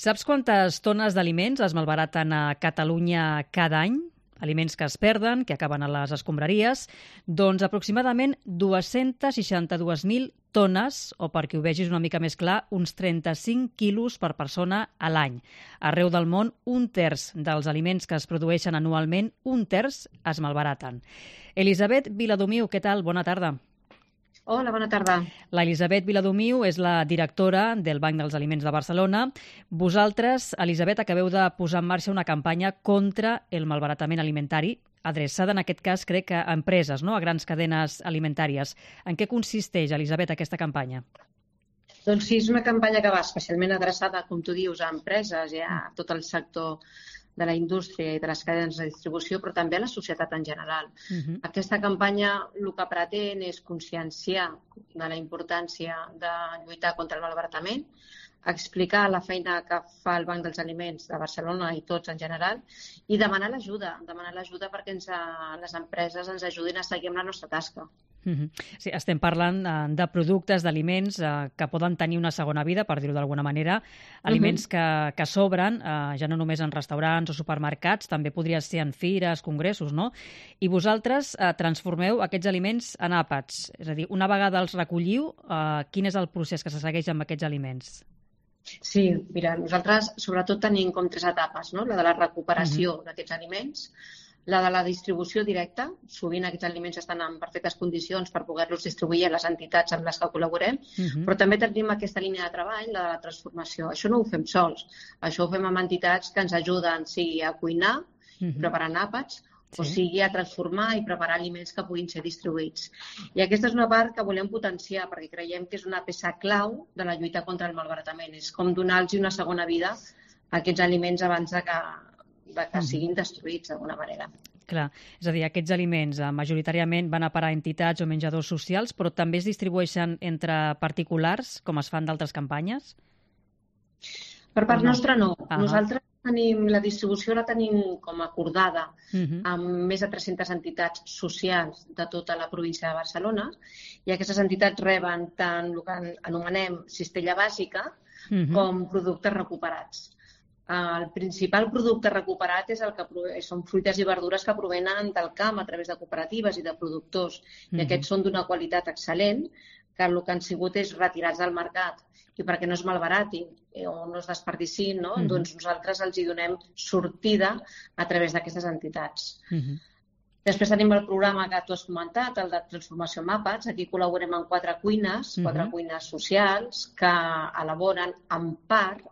Saps quantes tones d'aliments es malbaraten a Catalunya cada any? Aliments que es perden, que acaben a les escombraries. Doncs aproximadament 262.000 tones, o perquè ho vegis una mica més clar, uns 35 quilos per persona a l'any. Arreu del món, un terç dels aliments que es produeixen anualment, un terç es malbaraten. Elisabet Viladomiu, què tal? Bona tarda. Hola, bona tarda. L'Elisabet Viladomiu és la directora del Banc dels Aliments de Barcelona. Vosaltres, Elisabet, acabeu de posar en marxa una campanya contra el malbaratament alimentari, adreçada en aquest cas, crec, a empreses, no? A grans cadenes alimentàries. En què consisteix, Elisabet, aquesta campanya? Doncs sí, és una campanya que va especialment adreçada, com tu dius, a empreses i a tot el sector de la indústria i de les cadenes de distribució, però també a la societat en general. Aquesta campanya el que pretén és conscienciar de la importància de lluitar contra el malbaratament, explicar la feina que fa el Banc dels Aliments de Barcelona i tots en general i demanar l'ajuda perquè les empreses ens ajudin a seguir amb la nostra tasca. Sí, estem parlant de productes, d'aliments que poden tenir una segona vida, per dir-ho d'alguna manera, aliments que sobren, ja no només en restaurants o supermercats, també podria ser en fires, congressos, no? I vosaltres transformeu aquests aliments en àpats, és a dir, una vegada els recolliu, quin és el procés que se segueix amb aquests aliments? Sí, mira, nosaltres sobretot tenim com 3 etapes, no? La de la recuperació d'aquests aliments, la de la distribució directa, sovint aquests aliments estan en perfectes condicions per poder-los distribuir a les entitats amb les que col·laborem, però també tenim aquesta línia de treball, la de la transformació. Això no ho fem sols, això ho fem amb entitats que ens ajuden, sigui a cuinar, preparant àpats, o sigui a transformar i preparar aliments que puguin ser distribuïts. I aquesta és una part que volem potenciar perquè creiem que és una peça clau de la lluita contra el malbaratament. És com donar-los una segona vida a aquests aliments abans de que siguin destruïts d'alguna manera. Clar, és a dir, aquests aliments majoritàriament van a parar a entitats o menjadors socials, però també es distribueixen entre particulars, com es fan d'altres campanyes? Per part nostra no. Nosaltres la distribució la tenim com acordada amb més de 300 entitats socials de tota la província de Barcelona i aquestes entitats reben tant el que anomenem cistella bàsica com productes recuperats. El principal producte recuperat és són fruites i verdures que provenen del camp a través de cooperatives i de productors. I aquests són d'una qualitat excel·lent, que el que han sigut és retirats del mercat. I perquè no es malbaratin o no es desperdicin, no? Doncs nosaltres els hi donem sortida a través d'aquestes entitats. Després tenim el programa que tu has comentat, el de transformació en àpats. Aquí col·laborem amb 4 cuines socials que elaboren en part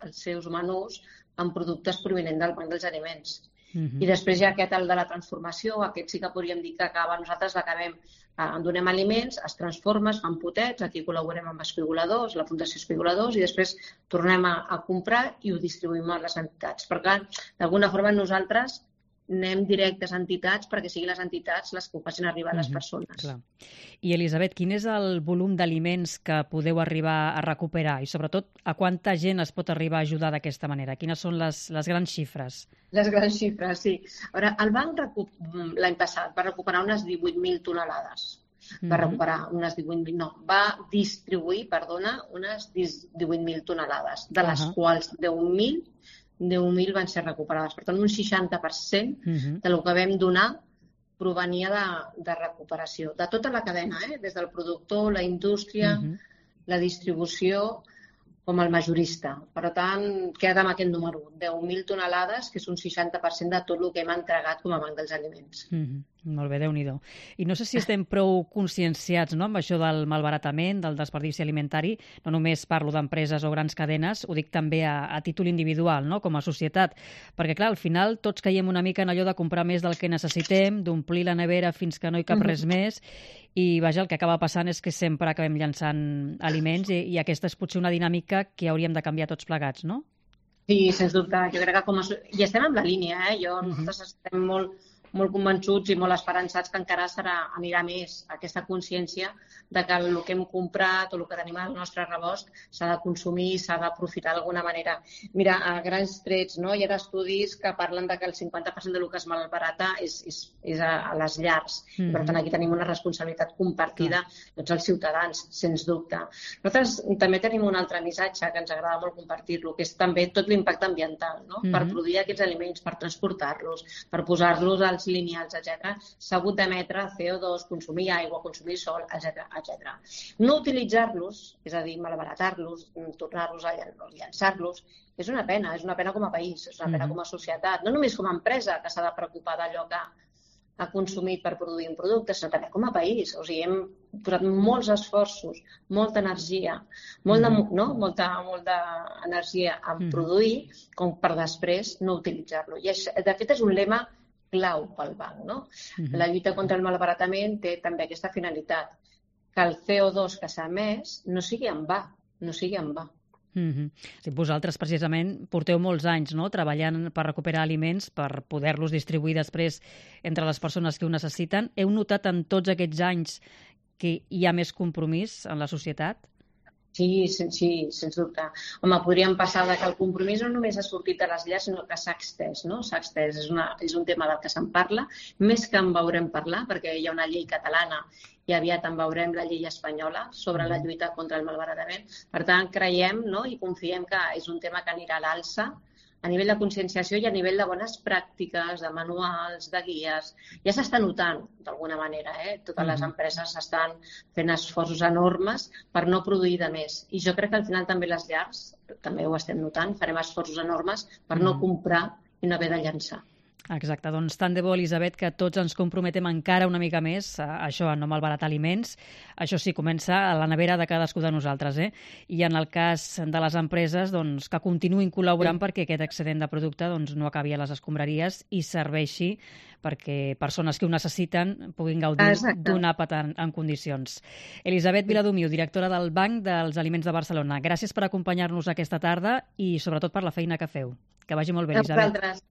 els seus menús amb productes provinents del Banc dels Aliments. I després hi ha el de la transformació, aquest sí que podríem dir que nosaltres l'acabem, en donem aliments, es transforma, es fan potets, aquí col·laborem amb Espigoladors, la Fundació Espigoladors, i després tornem a comprar i ho distribuïm a les entitats. Per tant, d'alguna forma nosaltres anem directes a entitats perquè siguin les entitats les que ho facin arribar a les persones. Clar. I Elisabet, quin és el volum d'aliments que podeu arribar a recuperar i sobretot a quanta gent es pot arribar a ajudar d'aquesta manera? Quines són les grans xifres? Les grans xifres, sí. A veure, el banc l'any passat va recuperar unes 18.000 tonelades. Va distribuir, unes 18.000 tonelades, de les quals 10.000 van ser recuperades. Per tant, un 60% del que vam donar provenia de recuperació. De tota la cadena, des del productor, la indústria, la distribució, com el majorista. Per tant, queda amb aquest número, 10.000 tonelades, que és un 60% de tot el que hem entregat com a Banc dels Aliments. Molt bé, Déu-n'hi-do. I no sé si estem prou conscienciats, no?, amb això del malbaratament, del desperdici alimentari. No només parlo d'empreses o grans cadenes, ho dic també a títol individual, no?, com a societat. Perquè, clar, al final tots caiem una mica en allò de comprar més del que necessitem, d'omplir la nevera fins que no hi cap res més, i vaja, el que acaba passant és que sempre acabem llançant aliments i aquesta és potser una dinàmica que hauríem de canviar tots plegats, no? Sí, sens dubte. Jo crec que i estem en la línia, nosaltres estem molt convençuts i molt esperançats que encara anirà més aquesta consciència de que el que hem comprat o el que tenim al nostre rebost s'ha de consumir i s'ha d'aprofitar d'alguna manera. Mira, a grans trets, no? Hi ha estudis que parlen de que el 50% del que es malbarata és a les llars. Per tant, aquí tenim una responsabilitat compartida tots els ciutadans, sens dubte. Nosaltres també tenim un altre missatge que ens agrada molt compartir-lo, que és també tot l'impacte ambiental, no? Per produir aquests aliments, per transportar-los, per posar-los als lineals, etc. S'ha hagut d'emetre CO2, consumir aigua, consumir sol, etc. No utilitzar-los, és a dir, malbaratar-los, tornar-los a llançar-los, és una pena com a país, és una pena com a societat, no només com a empresa que s'ha de preocupar d'allò que ha consumit per produir un producte, sinó també com a país. O sigui, hem posat molts esforços, molta energia, molta energia a produir com per després no utilitzar-lo. I de fet és un lema clau pel banc, no? La lluita contra el malbaratament té també aquesta finalitat, que el CO2 que s'ha emès no sigui en va, no sigui en va. Vosaltres precisament porteu molts anys treballant per recuperar aliments, per poder-los distribuir després entre les persones que ho necessiten. Heu notat en tots aquests anys que hi ha més compromís en la societat? Sí, sens dubte. Home, podríem passar que el compromís no només ha sortit de les llars, sinó que s'ha extès, no? S'ha extès, és un tema del que se'n parla, més que en veurem parlar, perquè hi ha una llei catalana i aviat en veurem la llei espanyola sobre la lluita contra el malbaratament. Per tant, creiem i confiem que és un tema que anirà a l'alça a nivell de conscienciació i a nivell de bones pràctiques, de manuals, de guies. Ja s'està notant, d'alguna manera, totes les empreses estan fent esforços enormes per no produir de més. I jo crec que al final també les llars, també ho estem notant, farem esforços enormes per no comprar i no haver de llançar. Exacte, doncs tant de bo, Elisabet, que tots ens comprometem encara una mica més a això, a no malbaratar aliments. Això sí, comença a la nevera de cadascú de nosaltres, I en el cas de les empreses, doncs, que continuïn col·laborant perquè aquest excedent de producte no acabi a les escombraries i serveixi perquè persones que ho necessiten puguin gaudir d'un àpat en condicions. Elisabet Viladomiu, directora del Banc dels Aliments de Barcelona, gràcies per acompanyar-nos aquesta tarda i sobretot per la feina que feu. Que vagi molt bé, Elisabet.